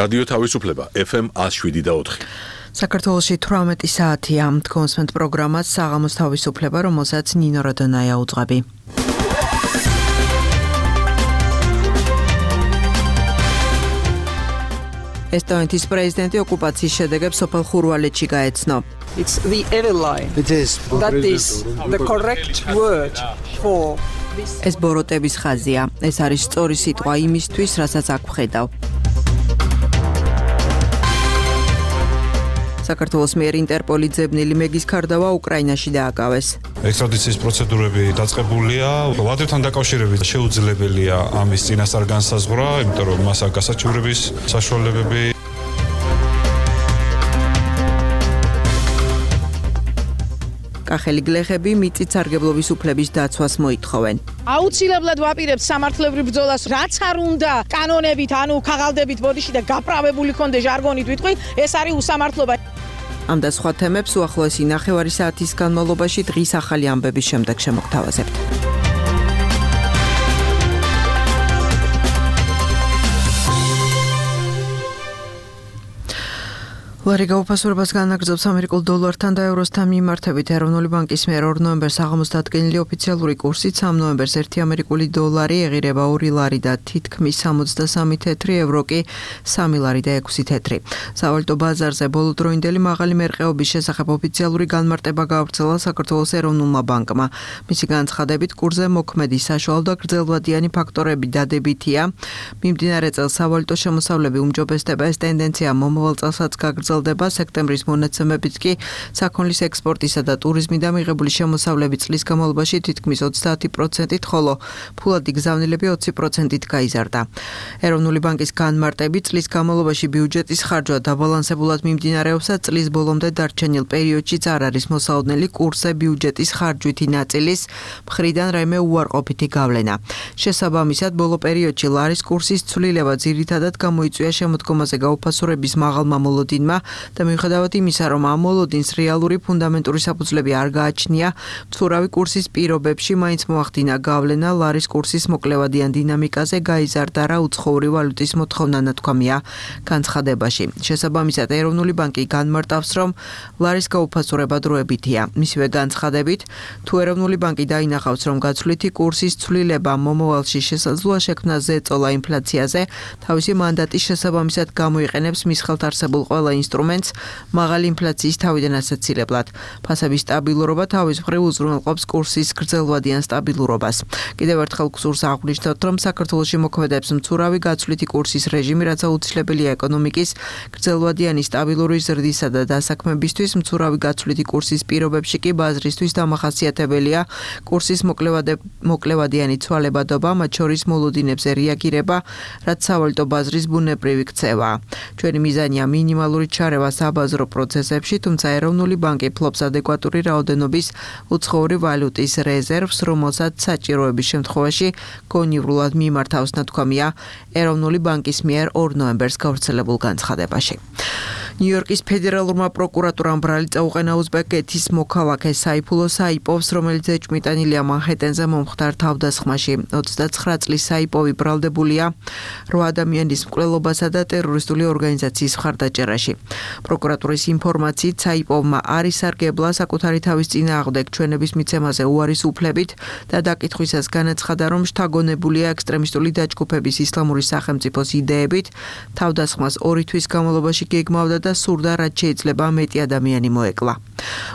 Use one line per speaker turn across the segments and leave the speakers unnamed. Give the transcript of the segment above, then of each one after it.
რადიო თავისუფლება FM 107.4.
საქართველოში 18 საათია. კონსმენტ პროგრამას საღამოს თავისუფლება, რომელსაც ნინო როდონაია უძღვები. ესტონეთის პრეზიდენტი ოკუპაციის შედეგებს სოფელ ხურვალეთში გაეცნო.
It's the ever line. It is. That is the correct word for this.
ეს ბოროტების ხაზია. ეს არის სწორი სიტყვა იმისთვის, რასაც აქ ვხედავ. საქართველოს მიერ ინტერპოლი ძებნილი მეგის ქარდავა უკრაინაში დააკავეს.
ექსტრადიციის პროცედურები დაწყებულია. ვადრებთან დაკავშირებით შეუძლებელია ამის წინასწარ განსაზღვრა, იმიტომ რომ მას აქვს გასაჩივრების საშუალებები. კახელი გლეხები მიწით სარგებლობის უფლების დაცვას მოითხოვენ.
აუცილებლად ვაპირებთ სამართლებრივ ბრძოლას, რაც არ უნდა კანონებით, ანუ ქაღალდებით ბოდიში და გაправებული კონდე ჟარგონით ვიტყვი, ეს არის უსამართლობა.
ამ და სხვა თემებს უახლოესი ნახევარი საათის განმავლობაში დღის ახალი ამბების შემდეგ შემოგთავაზებთ. ლარი გაუფასურებას განაგრძობს ამერიკულ დოლართან და ევროსთან მიმართებით. ეროვნული ბანკის მიერ 2 ნოემბერს საღამოს დადგენილი ოფიციალური კურსით 3 ნოემბერს 1 ამერიკული დოლარი ეღირება 2 ლარი და თითქმის 63 თეთრი, ევრო კი 3 ლარი და 6 თეთრი. სავალუტო ბაზარზე ბოლოდროინდელი მაღალი მერყეობის შესახებ ოფიციალური განმარტება გაავრცელა საქართველოს ეროვნულმა ბანკმა. მისი განცხადებით, კურსზე მოქმედი საშუალო და გრძელვადიანი ფაქტორები დადებითია. მიმდინარე წელს სავალუტო შემოსავლები უმჯობესდება, ეს ტენდენცია მომავალ წელსაც გაგრძელდება. სექტემბრის მონაცემებით კი საქონლის ექსპორტისა და ტურიზმიდან მიღებული შემოსავლები წლის განმავლობაში თითქმის 30%-ით, ხოლო ფულადი გზავნილები 20%-ით გაიზარდა. ეროვნული ბანკის განმარტებით წლის განმავლობაში ბიუჯეტის ხარჯვა დაბალანსებულად მიმდინარეობს და წლის ბოლომდე დარჩენილ პერიოდშიც არ არის მოსაოდნელი კურსზე ბიუჯეტის ხარჯვითი ნაწილის მხრიდან რაიმე უარყოფითი გავლენა. შესაბამისად, ბოლო პერიოდში ლარის კურსის ცვლილება ძირითადად გამოიწვია შემოდგომაზე გაუფასურების მაღალმა მოლოდინმა და მიუხედავად იმისა, რომ ამ მოლოდინს რეალური ფუნდამენტური საფუძვლები არ გააჩნია, მცურავი კურსის პირობებში მაინც მოახდინა გავლენა ლარის კურსის მოკლევადიან დინამიკაზე, გაიზარდა რა უცხოური ვალუტის მოთხოვნა ნათქვამია განცხადებაში. შესაბამისად, ეროვნული ბანკი განმარტავს, რომ ლარის გაუფასურება დროებითია. მისივე განცხადებით, თუ ეროვნული ბანკი დაინახავს, რომ გაცვლითი კურსის ცვლილება მომავალში შესაძლოა შექმნა ზეწოლა ინფლაციაზე, თავისი მანდატის შესაბამისად გამოიყენებს მის ხელთ არსებულ ყველა ინსტრუმენტს მაღალი ინფლაციის თავიდან ასაცილებლად. ფასების სტაბილურობა თავის მხრივ უზრუნველყოფს კურსის გრძელვადიან სტაბილურობას. კიდევ ერთხელ გსურს აღვნიშნოთ, რომ საქართველოში მოქმედებს მცურავი გაცვლითი კურსის რეჟიმი, რაც აუცილებელია ეკონომიკის გრძელვადიანი სტაბილური ზრდისა და დასაქმებისთვის. მცურავი გაცვლითი კურსის პირობებში კი ბაზრისთვის დამახასიათებელია კურსის მოკლევადიანი ცვალებადობა, მათ შორის მოლოდინებზე რეაგირება, რაც სავალუტო ბაზრის ბუნებრივი ქცევაა. ჩვენი მიზანია მინიმალური ჩარევა საბაზრო პროცესებში, თუმცა ეროვნული ბანკი ფლობს ადეკვატური რაოდენობის უცხოური ვალუტის რეზერვს, რომელსაც საჭიროების შემთხვევაში გონივრულად მიმართავს, ნათქვამია ეროვნული ბანკის მიერ 2 ნოემბერს გავრცელებულ განცხადებაში. ნიუ-იორკის ფედერალურმა პროკურატურამ ბრალი წაუყენა უზბეკეთის მოქალაქე საიფულო საიპოვს, რომელიც ეჭვმიტანილია მანჰეტენზე მომხდარ თავდასხმაში. 29 წლის საიპოვი ბრალდებულია 8 ადამიანის მკვლელობასა და ტერორისტული ორგანიზაციის მხარდაჭერაში. პროკურატურის ინფორმაციით, საიპოვმა არ ისარგებლა საკუთარი თავის წინააღმდეგ ჩვენების მიცემაზე უარის უფლებით და დაკითხვისას განაცხადა, რომ შთაგონებულია ექსტრემისტული დაჯგუფების ისლამური სახელმწიფოს იდეებით, თავდასხმას 2 თვის განმავლობაში გეგმავდა და სურდა, რაც შეიძლება მეტი ადამიანი მოეკლა.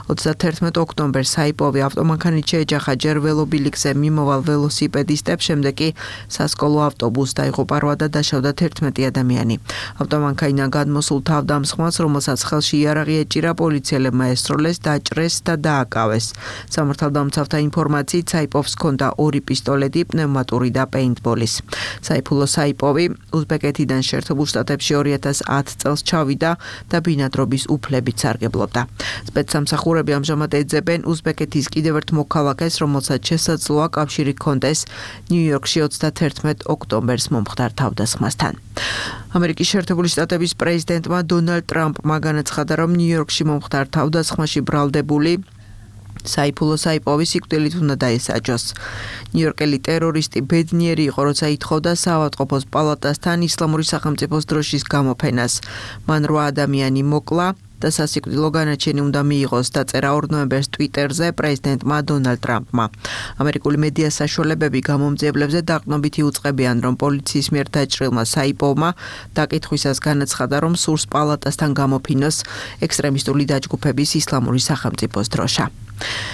31 ოქტომბერს საიპოვი ავტომანქანით შეეჯახა ჯერ ველობილიქზე მიმოვალ ველოსიპედისტებს, შემდეგ კი სასკოლო ავტობუსს დაიღუპა და დაშავდა 11 ადამიანი. ავტომანქანიდან გადმოსულ თავდამსხმელს, რომელსაც ხელში იარაღი ეჭირა, პოლიციელებმა ესროლეს, დაჭრეს და დააკავეს. სამართალდამცავთა ინფორმაციით, საიპოვს ჰქონდა 2 პისტოლეტი, პნევმატური და პეინტბოლის. საიფულო საიპოვი უზბეკეთიდან შეერთებულ შტატებში 2010 წელს ჩავიდა და ბინადრობის უფლებით სარგებლობდა. სპეცსამსახურები ამჟამად ეძებენ უზბეკეთის კიდევ ერთ მოქალაქეს, რომელსაც შესაძლოა კავშირი ჰქონდეს ნიუ-იორკში 31 ოქტომბერს მომხდარ თავდასხმასთან. ამერიკის შეერთებული შტატების პრეზიდენტმა დონალდ ტრამპმა განაცხადა, რომ ნიუ-იორკში მომხდარ თავდასხმაში ბრალდებული საიფულო საიპოვი სიკვდილით უნდა დაესაჯოს. ნიუ-იორკელი ტერორისტი ბედნიერი იყო, როცა ითხოვდა საავადმყოფოს პალატასთან ისლამური სახელმწიფოს დროშის გამოფენას. მან 8 ადამიანი მოკლა და სასიკვდილო განაჩენი უნდა მიიღოს, დაწერა 2 ნოემბერს ტვიტერზე პრეზიდენტმა დონალდ ტრამპმა. ამერიკული მედია საშუალებები გამომძიებლებზე დაყრდნობით იუწყებიან, რომ პოლიციის მიერ დაჭრილმა საიპოვმა დაკითხვისას განაცხადა, რომ სურს პალატასთან გამოფინოს ექსტრემისტული დაჯგუფების ისლამური სახელმწიფოს დროშა.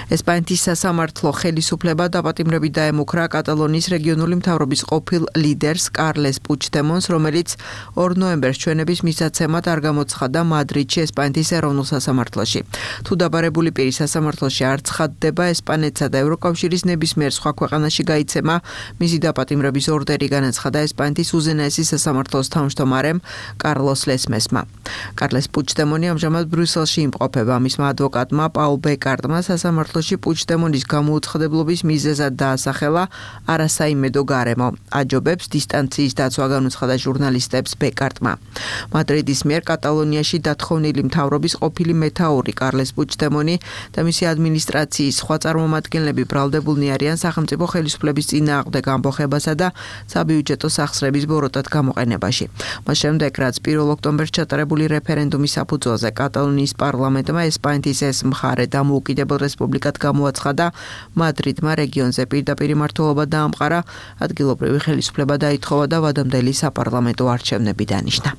ესპანეთის სასამართლო ხელისუფლება დაპატიმრებით დაემუქრა კატალონიის რეგიონული მთავრობის ყოფილ ლიდერს კარლეს პუჩდემონს, რომელიც 2 ნოემბერს ჩვენების მისაცემად არ გამოცხადდა მადრიდში ესპანეთის ეროვნულ სასამართლოში. თუ დაბარებული პირი სასამართლოში არ ცხადდება, ესპანეთსა და ევროკავშირის ნებისმიერ სხვა ქვეყანაში გაიცემა მისი დაპატიმრების ორდერი, განაცხადა ესპანეთის უზენაესი სასამართლოს თავმჯდომარემ კარლოს ლესმესმა. კარლეს პუჩდემონი ამჟამად ბრიუსელში იმყოფება. მისმა ადვოკატმა პაულ ბეკარტმა სასამართლოში პუჩდემონის გამოუცხადებლობის მიზეზად დაასახელა არასაიმედო გარემო. აჯობებს დისტანციის დაცვა, განუცხადა ჟურნალისტებს ბეკარტმა. მადრიდის მიერ კატალონიაში დათხოვნილი მთავრობის ყოფილი მეთაური კარლეს პუჩდემონი და მისი ადმინისტრაციის სხვა წარმომადგენლები ბრალდებულნი არიან სახელმწიფო ხელისუფლების წინააღმდეგ ამბოხებასა და საბიუჯეტო სახსრების ბოროტად გამოყენებაში. მას შემდეგ, რაც 1 ოქტომბერს ჩატარებული რეფერენდუმის საფუძველზე კატალონიის პარლამენტმა ესპანეთის ეს მხარე დამოუკიდებელ რესპუბლიკად გამოაცხადა, მადრიდმა რეგიონზე პირდაპირ მმართველობა დაამყარა, ადგილობრივი ხელისუფლება დაითხოვა და ვადამდელი საპარლამენტო არჩევნები დანიშნა.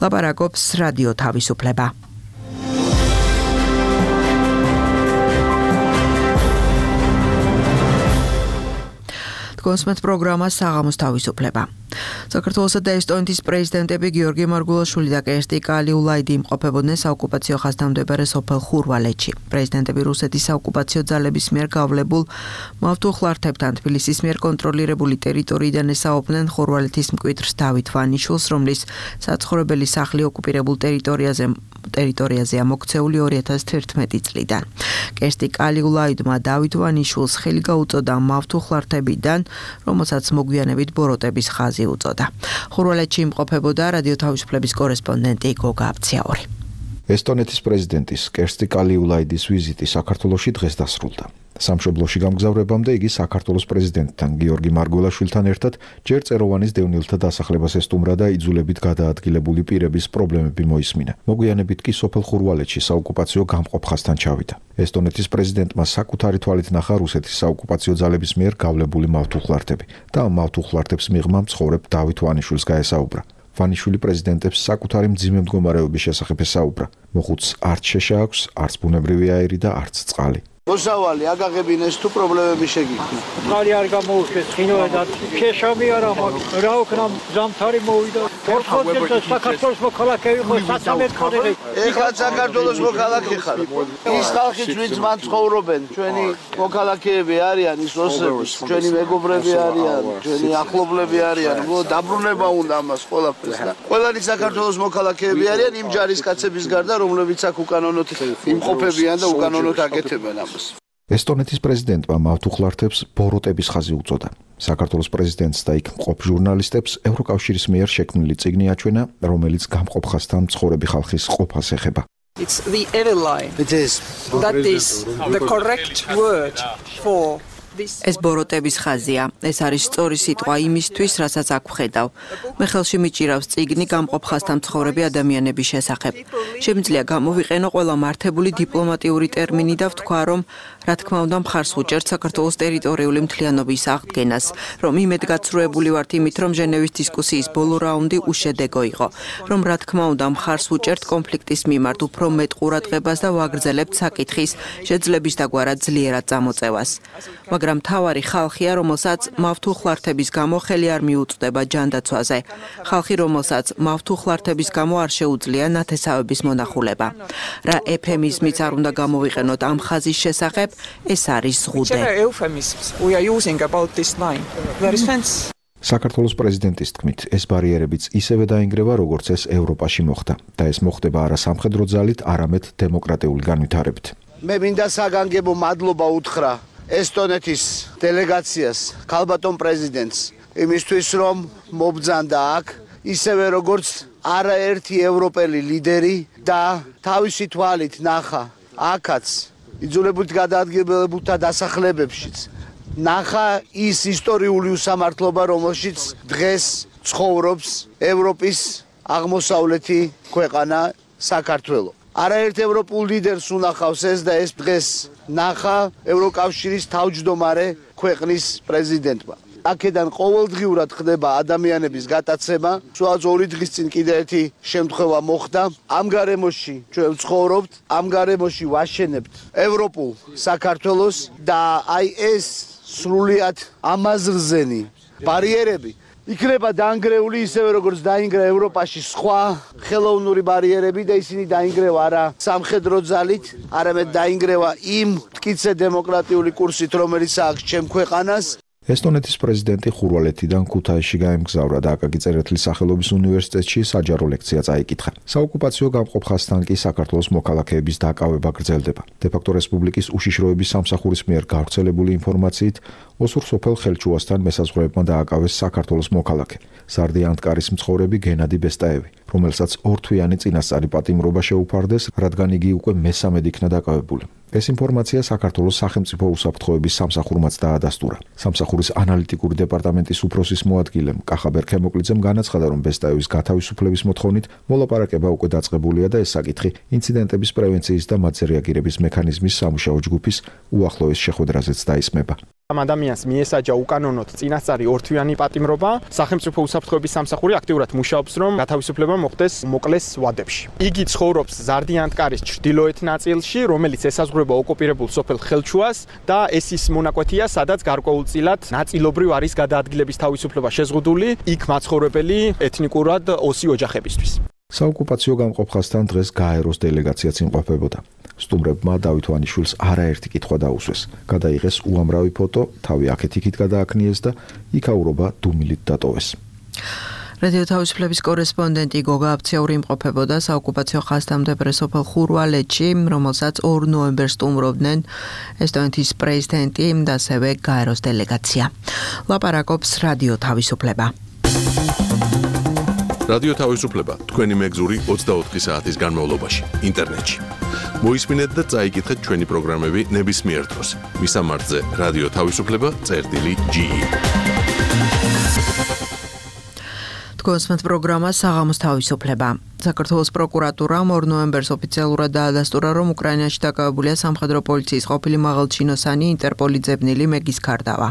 ლაპარაკობს რადიო თავისუფლება. კონსმეთ პროგრამა საღამოს თავისუფლება. საქართველოსა და ესტონეთის პრეზიდენტები გიორგი მარგულაშვილი და კერსტი კალიულაიდი იმყოფებოდნენ საოკუპაციო ხაზთამდებარე სოფელ ხურვალეთში. პრეზიდენტები რუსეთის საოკუპაციო ძალების მიერ გავლებულ მავთუხლართებთან თბილისის მიერ კონტროლირებული ტერიტორიიდან ესაუბნენ ხურვალეთის მკვიდრს დავით ვანიშვილს, რომლის საცხოვრებელი სახლი ოკუპირებულ ტერიტორიაზეა მოქცეული 2011 წლიდან. კერსტი კალიულაიდმა დავით ვანიშვილს ხელი გაუწოდა მავთუხლართებიდან, რომელსაც მოგვიანებით ბოროტების ხაზი უწოდა. ხურვალეთში იმყოფებოდა რადიო თავისუფლების კორესპონდენტი გოგა აბციაური.
ესტონეთის პრეზიდენტის კერსტი კალიულაიდის ვიზიტი საქართველოში დღეს დასრულდა. სამშობლოში გამგზავრებამდე იგი საქართველოს პრეზიდენტთან გიორგი მარგულაშვილთან ერთად ჯერ წეროვანის დევნილთა დასახლებას ესტუმრა და იძულებით გადაადგილებული პირების პრობლემები მოისმინა. მოგვიანებით კი სოფელ ხურვალეთში საოკუპაციო გამყოფ ხაზთან ჩავიდა. ესტონეთის პრეზიდენტმა საკუთარი თვალით ნახა რუსეთის საოკუპაციო ძალების მიერ გავლებული მავთუხლართები და ამ მავთუხლართებს მიღმა მცხოვრებ დავით ვანიშვილს გაესაუბრა. ვანიშვილი პრეზიდენტებს საკუთარი მძიმე მდგომარეობის შესახებ ესაუბრა. მოხუცს არც შეშა აქვს, არც ბუნებრივი აირი და არც წყალი.
მოსავალი აგაღებინეს თუ პრობლემები შეგიქმნა.
წყალი არ გამოუშვეს, ხინოა და შეშამი არა მაქვს. რა ვქნა ზამთარი მოვიდა. ორხოთებს საქართველოს მოქალაქეები ხო სასამართლოზე.
ეხლა საქართველოს მოქალაქე ხარ. ის ხალხიც ვინც მან ცხოვრობენ, ჩვენი მოქალაქეები არიან, ის ოსები, ჩვენი მეგობრები არიან, ჩვენი ახლობლები არიან. დაბრუნება უნდა ამას ყველაფერს და ყველანი საქართველოს მოქალაქეები არიან იმ ჯარისკაცების გარდა, რომლებიც აქ უკანონოდ იმყოფებიან და უკანონოდ აკეთებენ ამას.
ესტონეთის პრეზიდენტმა მავთუხლართებს ბოროტების ხაზი უწოდა. საქართველოს პრეზიდენტს და იქ მყოფ ჟურნალისტებს ევროკავშირის მიერ შექმნილი წიგნი აჩვენა, რომელიც გამყოფ ხაზთან მცხოვრები ხალხის ყოფას ეხება.
It's the ever line.
It is.
That is the correct word for
ეს ბოროტების ხაზია. ეს არის სწორი სიტყვა იმისთვის, რასაც აქ ვხედავ. მე ხელში მიჭირავს წიგნი გამყოფ ხაზთან მცხოვრები ადამიანების შესახებ. შემიძლია გამოვიყენო ყველა მართებული დიპლომატიური ტერმინი და ვთქვა, რომ რა თქმა უნდა მხარს ვუჭერთ საქართველოს ტერიტორიული მთლიანობის აღდგენას, რომ იმედგაცრუებული ვართ იმით, რომ ჟენევის დისკუსიის ბოლო რაუნდი უშედეგო იყო, რომ რა თქმა უნდა მხარს ვუჭერთ კონფლიქტის მიმართ უფრო მეტ ყურადღებას და ვაგრძელებთ საკითხის შეძლების დაგვარად ძლიერად წამოწევას. მაგრამ მთავარი ხალხია, რომელსაც მავთუხლართების გამო ხელი არ მიუწვდება ჯანდაცვაზე. ხალხი, რომელსაც მავთუხლართების გამო არ შეუძლია ნათესავების მონახულება. რა ეფემიზმიც არ უნდა გამოვიყენოთ ამ ხაზის შესახებ, ეს არის ზღუდე.
We are using about this line. There is fence.
საქართველოს პრეზიდენტის თქმით, ეს ბარიერებიც ისევე დაინგრევა, როგორც ეს ევროპაში მოხდა და ეს მოხდება არა სამხედრო ძალით, არამედ დემოკრატიული განვითარებით.
მე მინდა საგანგებო მადლობა უთხრა ესტონეთის დელეგაციას, ქალბატონ პრეზიდენტს, იმისთვის რომ მობრძანდა აქ, ისევე როგორც არაერთი ევროპელი ლიდერი და თავისი თვალით ნახა აქაც იძულებულით გადაადგილებულთა დასახლებებშიც ნახა ის ისტორიული უსამართლობა, რომელშიც დღეს ცხოვრობს ევროპის აღმოსავლეთი ქვეყანა საქართველო. არაერთ ევროპულ ლიდერს უნახავს ეს და ეს დღეს ნახა ევროკავშირის თავმჯდომარე ქვეყნის პრეზიდენტმა. აქედან ყოველდღიურად ხდება ადამიანების გატაცება. სულ 2 დღის წინ კიდე ერთი შემთხვევა მოხდა. ამ გარემოში ჩვენ ვცხოვრობთ, ამ გარემოში ვაშენებთ ევროპულ საქართველოს და აი ეს სრულიად ამაზრზენი ბარიერები იქნება დაანგრეული ისევე როგორც დაინგრა ევროპაში სხვა ხელოვნური ბარიერები და ისინი დაინგრევა არა სამხედრო ძალით, არამედ დაინგრევა იმ მტკიცე დემოკრატიული კურსით, რომელიც აქვს ჩემ ქვეყანას.
ესტონეთის პრეზიდენტი ხურვალეთიდან ქუთაისში გაემგზავრა და აკაკი წერეთლის სახელობის უნივერსიტეტში საჯარო ლექცია წაიკითხა. საოკუპაციო გამყოფ ხაზთან კი საქართველოს მოქალაქეების დაკავება გრძელდება. დე-ფაქტო რესპუბლიკის უშიშროების სამსახურის მიერ გავრცელებული ინფორმაციით ოსურ სოფელ ხელჩუასთან მესაზღვრეებმა დააკავეს საქართველოს მოქალაქე, სარდი ანტკარის მცხოვრები გენადი ბესტაევი, რომელსაც ორთვიანი წინასწარი პატიმრობა შეუფარდეს, რადგან იგი უკვე მესამედ იქნა დაკავებული. ეს ინფორმაცია საქართველოს სახელმწიფო უსაფრთხოების სამსახურმაც დაადასტურა. სამსახურის ანალიტიკური დეპარტამენტის უფროსის მოადგილემ კახაბერ ქემოკლიძემ განაცხადა, რომ ბესტაევის გათავისუფლების მოთხოვნით მოლაპარაკება უკვე დაწყებულია და ეს საკითხი ინციდენტების პრევენციის და მათზე რეაგირების მექანიზმის სამუშაო ჯგუფის უახლოეს შეხვედრაზეც დაისმება.
ამ ადამიანს მიესაჯა უკანონოდ წინასწარი ორთვიანი პატიმრობა. სახელმწიფო უსაფრთხოების სამსახური აქტიურად მუშაობს, რომ გათავისუფლება მოხდეს მოკლეს ვადებში. იგი ცხოვრობს ზარდიანტკარის ჩრდილოეთ ნაწილში, რომელიც ესაზღვრება ოკუპირებულ სოფელ ხელჩუას და ეს ის მონაკვეთია, სადაც გარკვეულწილად ნაწილობრივ არის გადაადგილების თავისუფლება შეზღუდული, იქ მაცხოვრებელი ეთნიკურად ოსი ოჯახებისთვის.
საოკუპაციო გამყოფ ხაზთან დღეს გაეროს დელეგაციაც იმყოფებოდა. სტუმრებმა დავით ვანიშვილს არაერთი კითხვა დაუსვეს. გადაიღეს უამრავი ფოტო, თავი აქეთ-იქით გადააქნიეს და იქაურობა დუმილით დატოვეს.
რადიო თავისუფლების კორესპონდენტი გოგა აფციაური იმყოფებოდა საოკუპაციო ხაზთან მდებარე სოფელ ხურვალეთში, რომელსაც 2 ნოემბერს სტუმრობდნენ ესტონეთის პრეზიდენტი და ასევე გაეროს დელეგაცია. ლაპარაკობს რადიო თავისუფლება.
რადიო თავისუფლება თქვენი მეგზური 24 საათის განმავლობაში ინტერნეტში. მოისმინეთ და წაიკითხეთ ჩვენი პროგრამები ნებისმიერ დროს. მისამართზე რადიო თავისუფლება.ge. თქვენს პროგრამა საღამოს თავისუფლება. საქართველოს პროკურატურამ 2 ნოემბერს ოფიციალურად დაადასტურა, რომ უკრაინაში დაკავებულია სამხედრო პოლიციის ყოფილი მაღალჩინოსანი ინტერპოლის ძებნილი მეგის ქარდავა.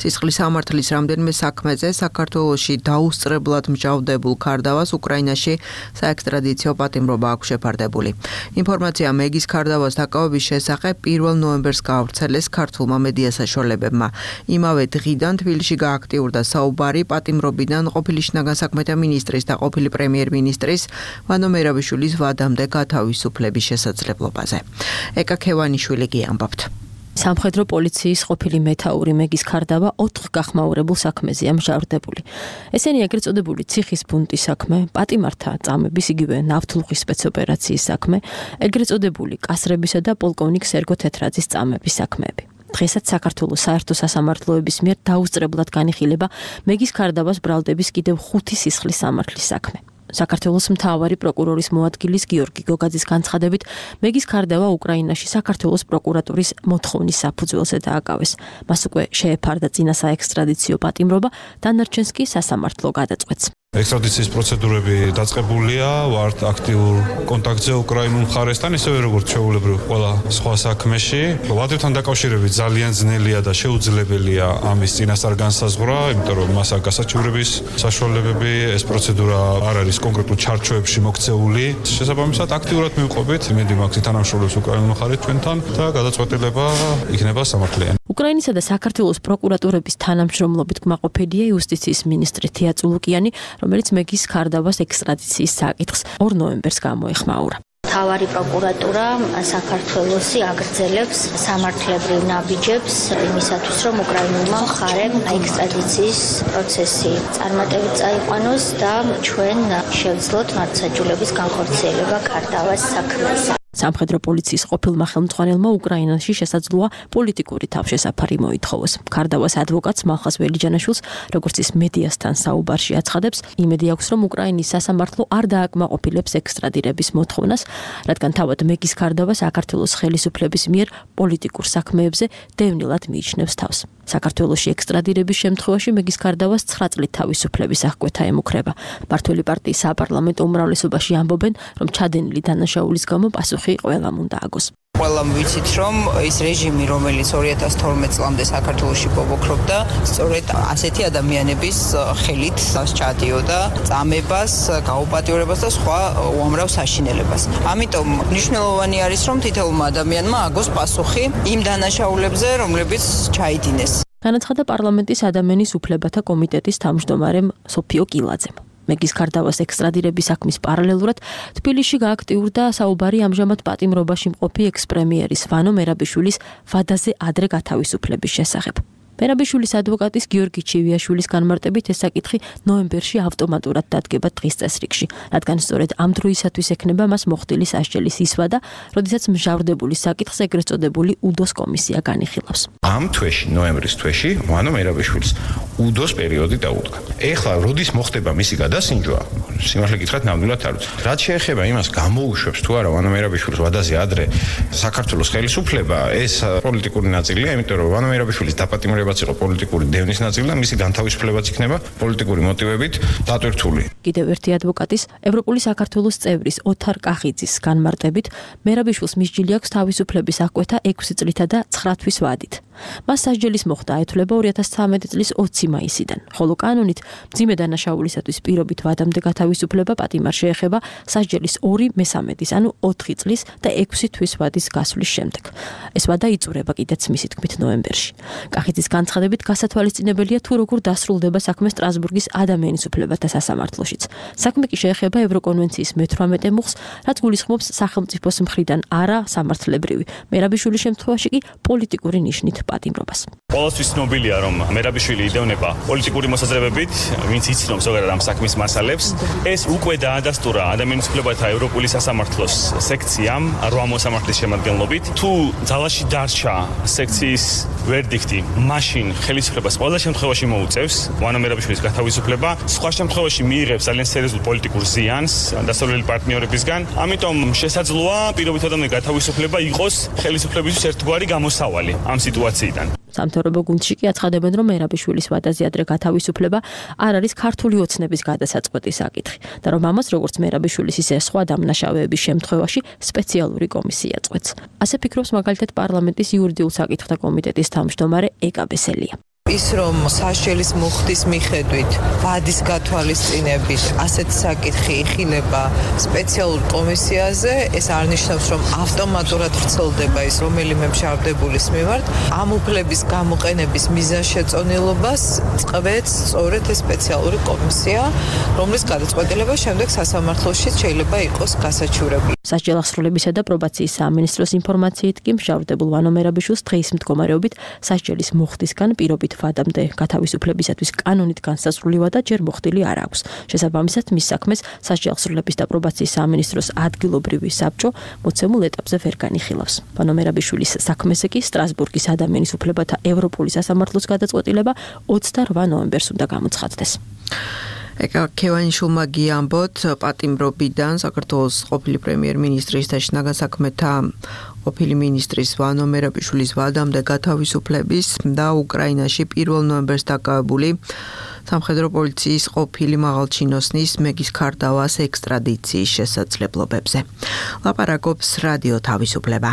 სისხლის სამართლის რამდენიმე საქმეზე საქართველოში დაუსწრებლად მსჯავრდებულ ქარდავას უკრაინაში საექსტრადიციო პატიმრობა აქვს შეფარდებული. ინფორმაცია მეგის ქარდავას დაკავების შესახებ 1 ნოემბერს გაავრცელეს ქართულმა მედია საშუალებებმა. იმავე დღიდან თბილისში გააქტიურდა საუბარი პატიმრობიდან ყოფილი შინაგან საქმეთა მინისტრის და ყოფილი პრემიერ-მინისტრის ვანო მერაბიშვილის ვადამდე გათავისუფლების შესაძლებლობაზე. ეკა ქევანიშვილი კი ამბობთ.
სამხედრო პოლიციის ყოფილი მეთაური მეგის ქარდავა 4 გახმაურებულ საქმეზეა მსჯავრდებული. ესენი ეგრეთ წოდებული ციხის ბუნტის საქმე, პატიმართა წამების იგივე ნავთლუღის სპეცოპერაციის საქმე, ეგრეთ წოდებული კასრებისა და პოლკოვნიკ სერგო თეთრაძის წამების საქმეები. დღესაც საქართველოს საერთო სასამართლოების მიერ დაუსწრებლად განიხილება მეგის ქარდავას ბრალდების კიდევ 5 სისხლის სამართლის საქმე. საქართველოს მთავარი პროკურორის მოადგილის გიორგი გოგაძის განცხადებით, მეგის ქარდავა უკრაინაში საქართველოს პროკურატურის მოთხოვნის საფუძველზე დააკავეს. მას უკვე შეეფარდა წინა საექსტრადიციო პატიმრობა, დანარჩენს კი სასამართლო გადაწყვეტს.
ექსტრადიციის პროცედურები დაწყებულია, ვართ აქტიურ კონტაქტზე უკრაინულ მხარესთან, ისევე როგორც ჩვეულებრივ ყველა სხვა საქმეში. ვადებთან დაკავშირებით ძალიან ძნელია და შეუძლებელია ამის წინასწარ განსაზღვრა, იმიტომ რომ მას აქვს გასაჩივრების საშუალებები, ეს პროცედურა არ არის კონკრეტულ ჩარჩოებში მოქცეული. შესაბამისად, აქტიურად მივყვებით, იმედი მაქვს თანამშრომლობს უკრაინულ მხარეს ჩვენთან და გადაწყვეტილება იქნება სამართლიანი.
უკრაინისა და საქართველოს პროკურატურების თანამშრომლობით კმაყოფილია იუსტიციის მინისტრი თია წულუკიანი, რომელიც მეგის ქარდავას ექსტრადიციის საკითხს 2 ნოემბერს გამოეხმაურა.
მთავარი პროკურატურა საქართველოსი აგრძელებს სამართლებრივ ნაბიჯებს იმისათვის, რომ უკრაინულმა მხარემ ექსტრადიციის პროცესი წარმატებით წაიყვანოს და ჩვენ შევძლოთ მართლმსაჯულების განხორციელება ქარდავას საქმეზე.
სამხედრო პოლიციის ყოფილმა ხელმძღვანელმა უკრაინაში შესაძლოა პოლიტიკური თავშესაფარი მოითხოვოს. ქარდავას ადვოკატს მალხას ველიჯანაშვილს, როგორც ის მედიასთან საუბარში აცხადებს, იმედი აქვს, რომ უკრაინის სასამართლო არ დააკმაყოფილებს ექსტრადირების მოთხოვნას, რადგან თავად მეგის ქარდავა საქართველოს ხელისუფლების მიერ პოლიტიკურ საქმეებზე დევნილად მიიჩნევს თავს. საქართველოში ექსტრადირების შემთხვევაში მეგის ქარდავას 9 წლით თავისუფლების აღკვეთა ემუქრება. მართველი პარტიის საპარლამენტო უმრავლესობაში ამბობენ, რომ ჩადენილი დანაშაულის გამო პასუხი ყველამ უნდა აგოს.
ყველამ ვიცით, რომ ის რეჟიმი, რომელიც 2012 წლამდე საქართველოში ბობოქრობდა, სწორედ ასეთი ადამიანების ხელით ჩადიოდა წამებას, გაუპატიურებას და სხვა უამრავ საშინელებას. ამიტომ მნიშვნელოვანი არის, რომ თითოეულმა ადამიანმა აგოს პასუხი იმ დანაშაულებზე, რომლებიც ჩაიდინეს.
განაცხადა პარლამენტის ადამიანის უფლებათა კომიტეტის თავმჯდომარემ სოფიო კილაძემ. მეგის ქარდავას ექსტრადირების საქმის პარალელურად თბილისში გააქტიურდა საუბარი ამჟამად პატიმრობაში მყოფი ექს-პრემიერის ვანო მერაბიშვილის ვადაზე ადრე გათავისუფლების შესახებ. მერაბიშვილის ადვოკატის გიორგი ჩივიაშვილის განმარტებით ეს საკითხი ნოემბერში ავტომატურად დადგება დღის წესრიგში, რადგან სწორედ ამ დროისათვის ექნება მას მოხდილი სასჯელის ისვადა, როდესაც მჟავრდებული საკითხს ეგრეთ წოდებული უდოს კომისია განიხილავს.
ამ თვეში, ნოემბრის თვეში, ვანო მერაბიშვილის უდოს პერიოდი დაუდგა. ეხლა როდის მოხდება მისი გადასინჯვა? სიმართლე გითხრათ, ნამდვილად არ ვიცი. რაც შეეხება იმას, გამოუშვებს თუ არა ვანო მერაბიშვილის ვადაზე ადრე საქართველოს ხელისუფლება, ეს პოლიტიკური ნაწილია, იმიტომ რომ ვანო მერაბიშვილის დაპატიმრებაც იყო პოლიტიკური დევნის ნაწილი და მისი განთავისუფლებაც იქნება პოლიტიკური მოტივებით დატვირთული.
კიდევ ერთი ადვოკატის, ევროპული საქართველოს წევრის ოთარ კახიძის განმარტებით, მერაბიშვილს მისჯილი აქვს თავისუფლების აღკვეთა 6 წლითა და 9 თვის ვადით. მას სასჯელის მოხდა ეთვლება 2013 წლის 20 მაისიდან, ხოლო კანონით მძიმე დანაშაულისათვის პირობით ვადამდე გათავისუფლება პატიმარ შეეხება სასჯელის 2/3, ანუ 4 წლის და 6 თვის ვადის გასვლის შემდეგ. ეს ვადა იწურება კიდეც მისი თქმით ნოემბერში. კახიძის განცხადებით გასათვალისწინებელია თუ როგორ დასრულდება საქმე სტრასბურგის ადამიანის უფლებათა სასამართლოშიც. საქმე კი შეეხება ევროკონვენციის მე-18 მუხლს, რაც გულისხმობს სახელმწიფოს მხრიდან არა სამართლებრივი, მერაბიშვილის შემთხვევაში კი პოლიტიკური ნიშნით პატიმრობას.
Ყველასთვის ცნობილია, რომ მერაბიშვილი იდევნება პოლიტიკური მოსაზრებებით, ვინც იცნობს ზოგადად ამ საქმის მასალებს. ეს უკვე დაადასტურა ადამიანის უფლებათა ევროპული სასამართლოს სექციამ 8 მოსამართლის შემადგენლობით. თუ ძალაში დარჩა სექციის ვერდიქტი, მაშინ ხელისუფლებას ყველა შემთხვევაში მოუწევს ვანო მერაბიშვილის გათავისუფლება, სხვა შემთხვევაში მიიღებს ძალიან სერიოზულ პოლიტიკურ ზიანს დასავლელი პარტნიორებისგან. ამიტომ შესაძლოა პირობით ადამიანის გათავისუფლება იყოს ხელისუფლებისთვის ერთგვარი გამოსავალი ამ სიტუაციიდან.
სამთავრობო გუნდში კი აცხადებენ, რომ მერაბიშვილის ვადაზე ადრე გათავისუფლება არ არის ქართული ოცნების გადასაწყვეტი საკითხი და რომ ამას როგორც მერაბიშვილის ისე სხვა დამნაშავეების შემთხვევაში სპეციალური კომისია წყვეტს. ასე ფიქრობს მაგალითად პარლამენტის იურიდიულ საკითხთა კომიტეტის თავმჯდომარე ეკა ბესელია.
ის რომ სასჯელის მუხტის მიხედვით ვადის გათვალისწინებით ასეთ საკითხი იხილება სპეციალურ კომისიაზე, ეს არ ნიშნავს, რომ ავტომატურად ვრცელდება ის რომელიმე მჟავრდებულის მიმართ. ამ უფლების გამოყენების მიზანშეწონილობას წყვეტს სწორედ ეს სპეციალური კომისია, რომლის გადაწყვეტილება შემდეგ სასამართლოში შეიძლება იყოს გასაჩივრებული.
სასჯელახსრულებისა და პრობაციის სამინისტროს ინფორმაციით კი მჟავრდებულ ვანო მერაბიშვილს დღის მდგომარეობით სასჯელის მუხტისგან პირობით ვადამდე გათავისუფლებისათვის კანონით განსაზღვრული ვადა ჯერ მოხდილი არ აქვს. შესაბამისად, მის საქმეს სასჯელახსრულების და პრობაციის სამინისტროს ადგილობრივი საბჭო მოცემულ ეტაპზე ვერ განიხილავს. ვანო მერაბიშვილის საქმეზე კი სტრასბურგის ადამიანის უფლებათა ევროპული სასამართლოს გადაწყვეტილება 28 ნოემბერს უნდა გამოცხადდეს.
ეკა ქევანიშვილმა გიამბოთ პატიმრობიდან საქართველოს ყოფილი პრემიერ-მინისტრის და შინაგან საქმეთა ყოფილი მინისტრის ვანო მერაბიშვილის ვადამდე გათავისუფლების და უკრაინაში 1 ნოემბერს დაკავებული სამხედრო პოლიციის ყოფილი მაღალჩინოსნის მეგის ქარდავას ექსტრადიციის შესაძლებლობებზე. ლაპარაკობს რადიო თავისუფლება.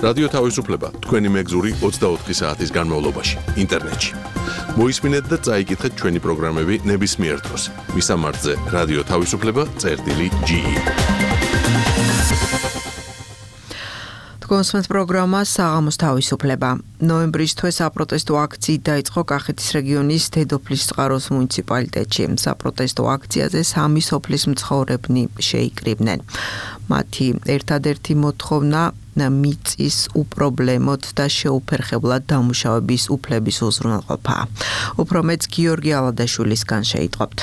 რადიო თავისუფლება თქვენი მეგზური 24 საათის განმავლობაში ინტერნეტში. მოისმინეთ და წაიკითხეთ ჩვენი პროგრამები ნებისმიერ დროს. მისამართზე რადიო თავისუფლება.ge.
თქვენს პროგრამა საღამოს თავისუფლება. ნოემბრის თვე საპროტესტო აქციით დაიწყო კახეთის რეგიონის დედოფლის წყაროს მუნიციპალიტეტში. საპროტესტო აქციაზე 3 სოფლის მცხოვრებნი შეიკრიბნენ. მათი ერთადერთი მოთხოვნა მიწის უპრობლემოდ და შეუფერხებლად დამუშავების უფლების უზრუნველყოფა. უფრო მეც გიორგი ალადაშვილისგან შეიტყობთ.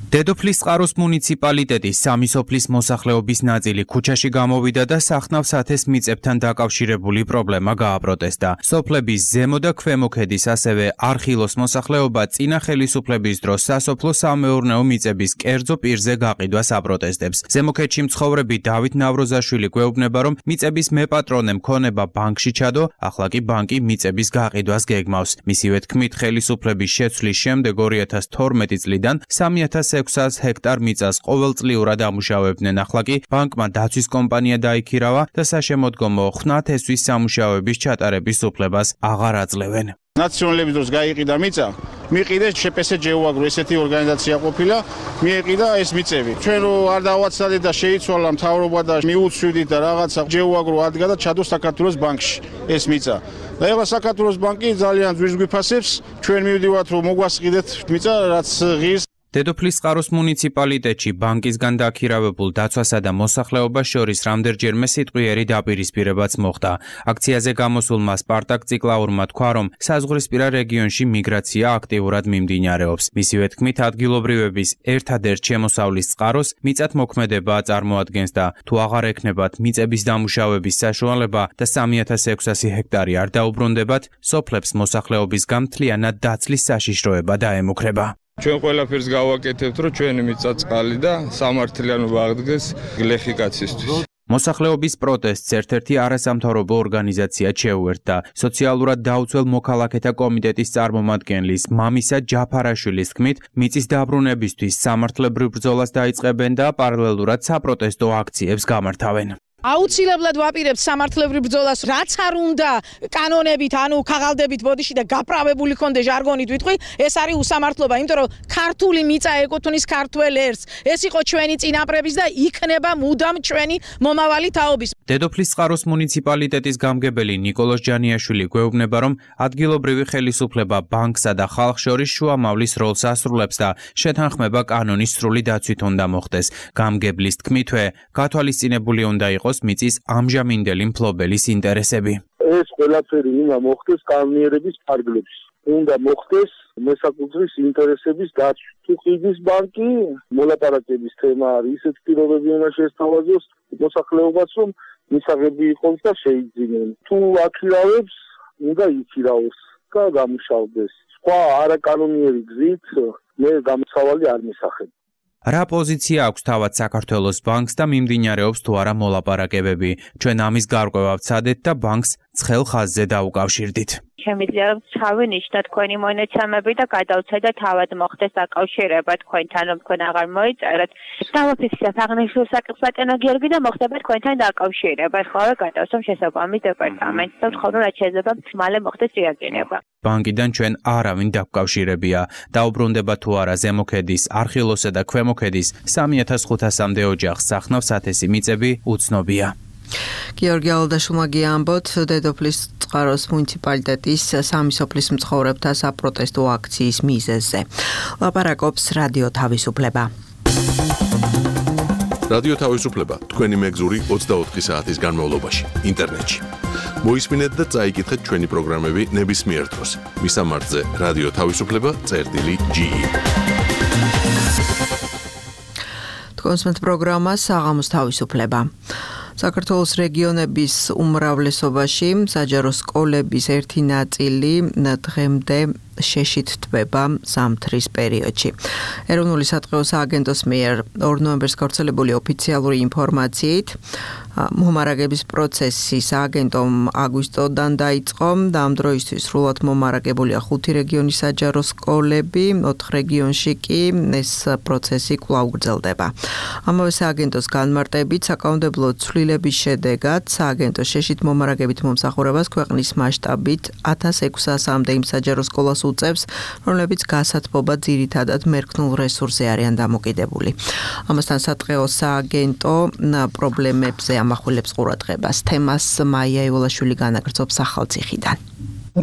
დედოფლის წყაროს მუნიციპალიტეტის სამი სოფლის მოსახლეობის ნაწილი ქუჩაში გამოვიდა და სახნავ სათეს მიწებთან დაკავშირებული პრობლემა გააპროტესტა. სოფლების ზემო და ქვემო ქედის, ასევე არხილოს მოსახლეობა წინა ხელისუფლების დროს სასოფლო სამეურნეო მიწების კერძო პირზე გაყიდვას აპროტესტებს. ზემო ქედში მცხოვრები დავით ნავროზაშვილი გვეუბნება, რომ მიწების მეპატრონე მქონება ბანკში ჩადო, ახლა კი ბანკი მიწების გაყიდვას გეგმავს. მისივე თქმით, ხელისუფლების შეცვლის შემდეგ 2012 წლიდან 3600 ჰექტარ მიწას ყოველწლიურად ამუშავებდნენ. ახლა კი ბანკმა დაცვის კომპანია დაიქირავა და საშემოდგომო ხნათესვის სამუშაოების ჩატარების უფლებას აღარ აძლევენ.
ნაციონალების დროს გაიყიდა მიწა, მიყიდეს შეპესე ჯეუაგრო, ესეთი ორგანიზაცია ყოფილა, მიეყიდა ეს მიწები. ჩვენ რო არ დავაცადეთ და შეიცვალა მთავრობა და მიუცვიდით და რაღაცა ჯეუაგრო ადგა და ჩადო საქართველოს ბანკში ეს მიწა. და ეხლა საქართველოს ბანკი ძალიან ძვირს გვიფასებს, ჩვენ მივდივართ რომ მოგვასყიდეთ მიწა, რაც ღირს.
დედოფლის წყაროს მუნიციპალიტეტში ბანკისგან დაქირავებულ დაცვასა და მოსახლეობას შორის რამდენჯერმე სიტყვიერი დაპირისპირებაც მოხდა. აქციაზე გამოსულმა სპარტაკ ციკლაურმა თქვა, რომ საზღვრისპირა რეგიონში მიგრაცია აქტიურად მიმდინარეობს. მისივე თქმით, ადგილობრივების ერთადერთ შემოსავლის წყაროს მიწათმოქმედება წარმოადგენს და თუ აღარ ექნებათ მიწების დამუშავების საშუალება და 3600 ჰექტარი არ დაუბრუნდებათ, სოფლებს მოსახლეობისგან მთლიანად დაცლის საშიშროება დაემუქრება.
ჩვენ ყველაფერს გავაკეთებთ, რომ ჩვენი მიწა წყალი და სამართლიანობა აღდგეს გლეხი კაცისთვის.
მოსახლეობის პროტესტს ერთ-ერთი არასამთავრობო ორგანიზაცია შეუერთდა. სოციალურად დაუცველ მოქალაქეთა კომიტეტის წარმომადგენლის მამისა ჯაფარაშვილის თქმით, მიწის დაბრუნებისთვის სამართლებრივ ბრძოლას დაიწყებენ და პარალელურად საპროტესტო აქციებს გამართავენ.
აუცილებლად ვაპირებთ სამართლებრივ ბრძოლას, რაც არ უნდა კანონებით, ანუ ქაღალდებით ბოდიში და გაправებული კონდე ჟარგონით ვიტყვი, ეს არის უსამართლობა, იმიტომ რომ ქართული მიწა ეკუთვნის ქართველ ერს. ეს იყო ჩვენი წინაპრების და იქნება მუდამ ჩვენი მომავალი თაობის.
დედოფლის წყაროს მუნიციპალიტეტის გამგებელი ნიკოლოზ ჯანიაშვილი გვეუბნება, რომ ადგილობრივი ხელისუფლება ბანკსა და ხალხს შორის შუამავლის როლს ასრულებს და შეთანხმება კანონის სრული დაცვით უნდა მოხდეს. გამგებლის თქმითვე, გათვალისწინებული უნდა იყოს მიწის ამჟამინდელი მფლობელის ინტერესები.
ეს ყველაფერი უნდა მოხდეს კანონიერების ფარგლებში. უნდა მოხდეს მესაკუთრის ინტერესების დაცვა. თუ ყიდის ბანკი, მოლაპარაკების თემა არის, ისეთ პირობები უნდა შესთავაზოს მოსახლეობას, რომ მისაღები იყოს და შეიძინონ. თუ აქირავებს, უნდა იქირავოს და გამუშავდეს. სხვა არაკანონიერი გზით მე გამოსავალი არ მისახებ.
რა პოზიცია აქვს თავად საქართველოს ბანკს და მიმდინარეობს თუ არა მოლაპარაკებები? ჩვენ ამის გარკვევა ვცადეთ და ბანკს ცხელ ხაზზე დაუკავშირდით.
შემიძლია რომ ჩავინიშნოთ თქვენი მონაცემები და გადავცადოთ თავად მოხდეს დაკავშირება თქვენთან, რომ თქვენ აღარ მოიწერეთ. დავაფიქსირეთ აღნიშნულ საკითხს ბატონო გიორგი და მოხდება თქვენთან დაკავშირება. ხოლო გადავსვამ შესაბამის დეპარტამენტს და ვთხოვთ რომ რაც შეიძლება მალე მოხდეს რეაგირება.
ბანკიდან ჩვენ არავინ დაკავშირებია. დაუბრუნდება თუ არა ზემო ქედის, არხილოსა და ქვემო ქედის 3500-მდე ოჯახს სახნავ სათესი მიწები უცნობია.
გიორგი ალდაშვილმა გიამბოთ დედოფლის წყაროს მუნიციპალიტეტის სამი სოფლის მცხოვრებთა საპროტესტო აქციის მიზეზზე. ლაპარაკობს რადიო თავისუფლება.
რადიო თავისუფლება თქვენი მეგზური 24 საათის განმავლობაში ინტერნეტში. მოისმინეთ და წაიკითხეთ ჩვენი პროგრამები ნებისმიერ დროს. მისამართზე რადიო თავისუფლება.ge.
თქვენს პროგრამა საღამოს თავისუფლება. საქართველოს რეგიონების უმრავლესობაში საჯარო სკოლების ერთი ნაწილი დღემდე შეშით თბება ზამთრის პერიოდში. ეროვნული სატყეო სააგენტოს მიერ 2 ნოემბერს გავრცელებული ოფიციალური ინფორმაციით მომარაგების პროცესი სააგენტომ აგვისტოდან დაიწყო და ამ დროისთვის სრულად მომარაგებულია 5 რეგიონის საჯარო სკოლები, 4 რეგიონში კი ეს პროცესი კვლავ გრძელდება. ამავე სააგენტოს განმარტებით საკანონმდებლო ცვლილების შედეგად სააგენტო შეშით მომარაგებით მომსახურებას ქვეყნის მასშტაბით 1600-მდე იმ საჯარო სკოლას უწევს, რომლებიც გასათბობა ძირითადად მერქნულ რესურსზე არიან დამოკიდებული. ამასთან სატყეო სააგენტო პრობლემებზე ამახვილებს ყურადღებას. თემას მაია ივოლაშვილი განაგრძობს ახალციხიდან.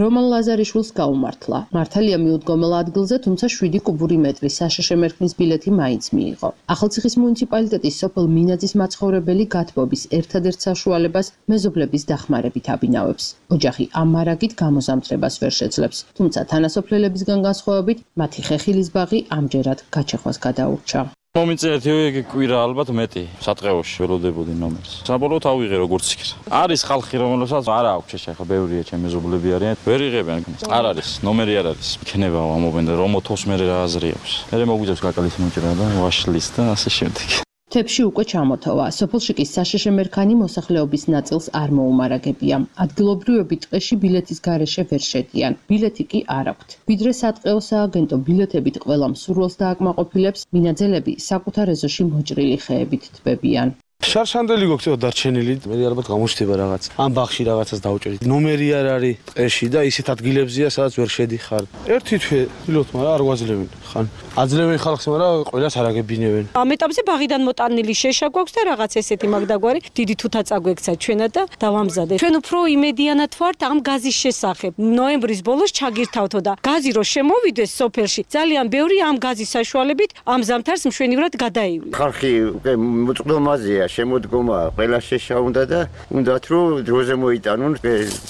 რომან ლაზარიშვილს გაუმართლა. მართალია მიუდგომელ ადგილზე, თუმცა 7 კუბური მეტრი საშშ მერქნის ბილეთი მაინც მიიღო. ახალციხის მუნიციპალიტეტის სოფელ მინაძის მაცხოვრებელი გათბობის ერთადერთ საშუალებას მეზობლების დახმარებით აბინავებს. ოჯახი ამ მარაგით გამოზამთრებას ვერ შეძლებს, თუმცა თანასოფლელებისგან განსხვავებით, მათი ხეხილის ბაღი ამჯერად გაჩეხვას გადაურჩა.
მომიწევთ იგი კვირა ალბათ მეტი სატყეოში ველოდებოდი ნომერს. საბოლოოდ ავიღე როგორც იქ. არის ხალხი რომელსაც არ აქვს შეშა ხა ბევრია ჩემი მეზობლები არიან. ვერ იღებენ. არ არის ნომერი არ არის. იქნება ამობენ რომ მოთოს მე რა აზრი აქვს. მე მოგვიძებს კაკალის მოჭრა და ვაშლის და ასე შემდეგ.
თებში უკვე ჩამოთოვა. სოფელში კი საშშ მერქანი მოსახლეობის ნაწილს არ მოუმარაგებია. ადგილობრივები ტყეში ბილეთის გარეშე ვერ შედიან. ბილეთი კი არ აქვთ. ვიდრე სატყეო სააგენტო ბილეთებით ყველა მსურველს დააკმაყოფილებს, მინაძელები საკუთარ ეზოში მოჭრილი ხეებით თბებიან.
შარშანდელი გქცევა დარჩენილი, მე ალბათ გამოჩდება რაღაც. ამ ბაღში რაღაცას დავჭერით. ნომერი არ არის ტყეში და ისეთ ადგილებზია, სადაც ვერ შედიხარ. ერთი თვე ვილოთ, მაგრამ არ გვაძლევენ. ხან აძლევენ ხალხს, მაგრამ ყველას არ აგებინებენ.
ამ ეტაპზე ბაღიდან მოტანილი შეშა გვაქვს და რაღაც ესეთი მაგდაგვარი დიდი თუთა წაგვექცა ჩვენად და დავამზადეთ. ჩვენ უფრო იმედიანად ვართ ამ გაზის შესახებ. ნოემბრის ბოლოს ჩაგირთავთო და გაზი რო შემოვიდეს სოფელში, ძალიან ბევრი ამ გაზის საშუალებით ამ ზამთარს მშვენივრად გადაივლის.
ხალხი უკვე მოწყდომაზეა, შემოდგომა ყველა შეშა უნდა და უნდათ რომ დროზე მოიტანონ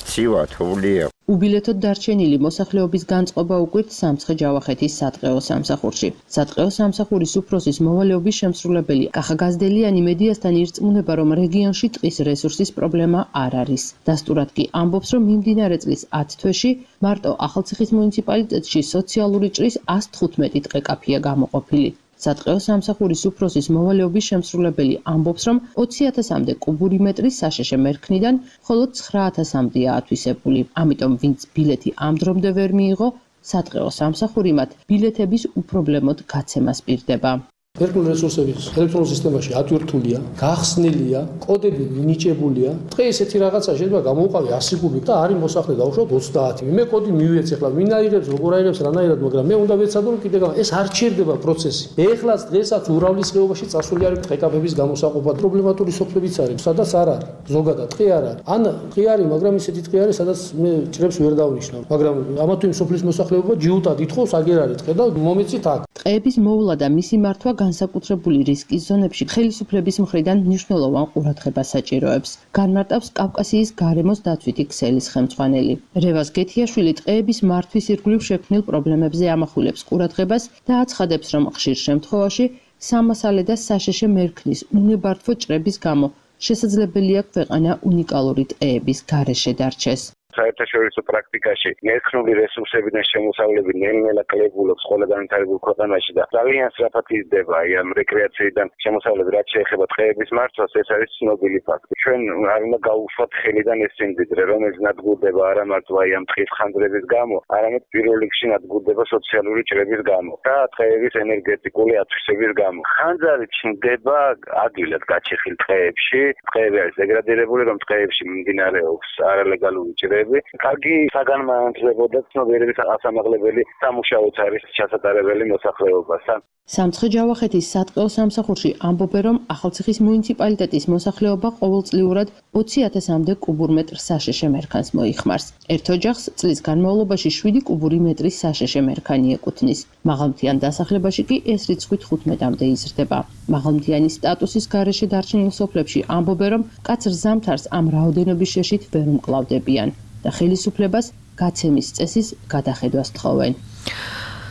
ცივა თოვლია.
უბილეთოდ დარჩენილი მოსახლეობის განწყობა უკვირთ სამცხე-ჯავახეთის სატყეო სამსახურში. სატყეო სამსახურის უფროსის მოვალეობის შემსრულებელი კახა გაზდელიანი მედიასთან ირწმუნება, რომ რეგიონში ტყის რესურსის პრობლემა არ არის. დასტურად კი ამბობს, რომ მიმდინარე წლის 10 თვეში მარტო ახალციხის მუნიციპალიტეტში სოციალური ჭრის 115 ტყე-კაფეა გამოყოფილი. სატყეო სამსახურის უფროსის მოვალეობის შემსრულებელი ამბობს, რომ 20.000-მდე კუბური მეტრი საშშ მერქნიდან მხოლოდ 9.000-მდეა ათვისებული. ამიტომ ვინც ბილეთი ამ დრომდე ვერ მიიღო, სატყეო სამსახური მათ ბილეთების უპრობლემოდ გაცემას პირდება.
ეროვნული რესურსების ელექტრონულ სისტემაში ატვირთულია, გახსნილია, კოდები მინიჭებულია. დღე ესეთი რაღაცა შეიძლება გამოვყავი 100 კუბიკ და არის მოსახლე დავუშვათ 30. მე კოდი მივიეც ახლა ვინ აიღებს, როგორ აიღებს, რანაირად, მაგრამ მე უნდა ვეცადო რომ კიდე ეს არ ჩერდება პროცესი. ეხლაც დღესაც ურავლის ხეობაში წასული არის ტყე-კაფეების გამოსაყოფა. პრობლემატური სოფლებიც არის, სადაც არ არის. ზოგადად ტყე არ არის. ან ტყე არის, მაგრამ ისეთი ტყე არის, სადაც მე ჭრებს ვერ დავნიშნავ. მაგრამ ამა თუ იმ სოფლის მოსახლეობა ჯიუტად ითხოვს, აგერ არის ტყე და მომეცით აქ.
ტყეების მოვლა და მისი მართვა განსაკუთრებული რისკის ზონებში ხელისუფლების მხრიდან მნიშვნელოვან ყურადღებას საჭიროებს. განმარტავს კავკასიის გარემოს დაცვითი ქსელის ხელმძღვანელი. რევაზ გეთიაშვილი ტყეების მართვის ირგვლივ შექმნილ პრობლემებზე ამახვილებს ყურადღებას და აცხადებს, რომ ხშირ შემთხვევაში სამასალე და საშშ მერქნის უნებართვო ჭრების გამო შესაძლებელია ქვეყანა უნიკალური ტყეების გარეშე დარჩეს.
საერთაშორისო პრაქტიკაში მერქნული რესურსებიდან შემოსავლები ნელ-ნელა კლებულობს ყველა განვითარებულ ქვეყანაში და ძალიან სწრაფად იზრდება ამ რეკრეაციიდან შემოსავლები, რაც შეეხება ტყეების მართვას, ეს არის ცნობილი ფაქტი. ჩვენ არ უნდა გავუშვათ ხელიდან ეს სიმდიდრე, რომელიც ნადგურდება არა მარტო ამ ტყის ხანძრების გამო, არამედ პირველ რიგში ნადგურდება სოციალური ჭრების გამო და ტყეების ენერგეტიკული ათვისების გამო. ხანძარი ჩნდება ადვილად გაჩეხილ ტყეებში, ტყეები არის დეგრადირებული, რომ ტყეებში მიმდინარეობს არალეგალური ჭრები. კარგი საგანმანათლებლო და ცნობიერების ასამაღლებელი სამუშაოც არის ჩასატარებელი მოსახლეობასთან.
სამცხე-ჯავახეთის სატყეო სამსახურში ამბობენ, რომ ახალციხის მუნიციპალიტეტის მოსახლეობა ყოველწლიურად 20.000-მდე კუბურ მეტრ საშშ მერქანს მოიხმარს. ერთ ოჯახს წლის განმავლობაში 7 კუბური მეტრი საშშ მერქანი ეკუთვნის. მაღალმთიან დასახლებაში კი ეს რიცხვი 15-მდე იზრდება. მაღალმთიანი სტატუსის გარეშე დარჩენილ სოფლებში ამბობენ, რომ მკაცრ ზამთარს ამ რაოდენობის შეშით ვერ უმკლავდებიან და ხელისუფლებას გაცემის წესის გადახედვას თხოვენ.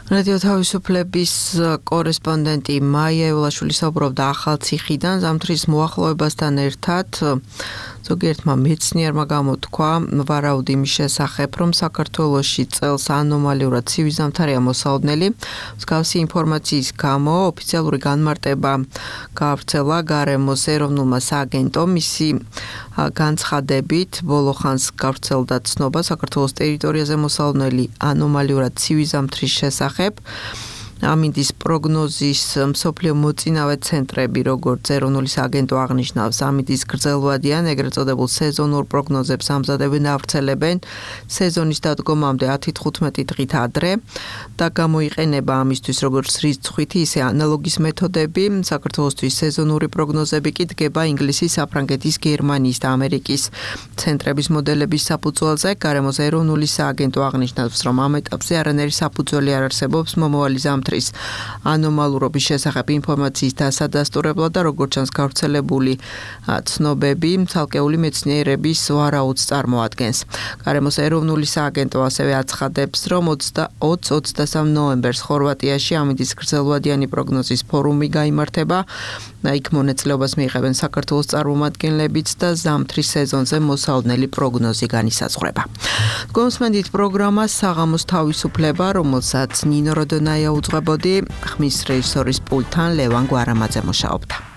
რადიო თავისუფლების კორესპონდენტი მაია ევლაშვილი საუბრობდა ახალციხიდან ზამთრის მოახლოებასთან ერთად. ზოგიერთმა მეცნიერმა გამოთქვა ვარაუდი იმის შესახებ, რომ საქართველოში წელს ანომალიურად ცივი ზამთარია მოსალოდნელი. მსგავსი ინფორმაციის გამო ოფიციალური განმარტება გაავრცელა გარემოს ეროვნულმა სააგენტომ. მისი განცხადებით ბოლო ხანს გავრცელდა ცნობა საქართველოს ტერიტორიაზე მოსალოდნელი ანომალიურად ცივი ზამთრის შესახებ. ამინდის პროგნოზის მსოფლიო მოწინავე ცენტრები, როგორც ეროვნული სააგენტო აღნიშნავს, ამინდის გრძელვადიან ეგრეთ წოდებულ სეზონურ პროგნოზებს ამზადებენ, ავრცელებენ სეზონის დადგომამდე 10-15 დღით ადრე და გამოიყენება ამისთვის როგორც რიცხვითი, ისე ანალოგის მეთოდები. საქართველოსთვის სეზონური პროგნოზები კი დგება ინგლისის, საფრანგეთის, გერმანიის და ამერიკის ცენტრების მოდელების საფუძველზე. გარემოს ეროვნული სააგენტო აღნიშნავს, რომ ამ ეტაპზე არანაირი საფუძველი არ არსებობს მომავალი ზამთრის ანომალურობის შესახებ ინფორმაციის დასადასტურებლად და როგორც ჩანს გავრცელებული ცნობები ცალკეული მეცნიერების ვარაუდს წარმოადგენს. გარემოს ეროვნული სააგენტო ასევე აცხადებს, რომ 20-23 ნოემბერს ხორვატიაში ამინდის გრძელვადიანი პროგნოზის ფორუმი გაიმართება. იქ მონაწილეობას მიიღებენ საქართველოს წარმომადგენლებიც და ზამთრის სეზონზე მოსალოდნელი პროგნოზი განისაზღვრება. გონსმენდით პროგრამა საღამოს თავისუფლება, რომელსაც ნინო როდონაია უძღვებოდი, ხმის რეჟისორის პულტთან ლევან გვარამაძე მუშაობდა.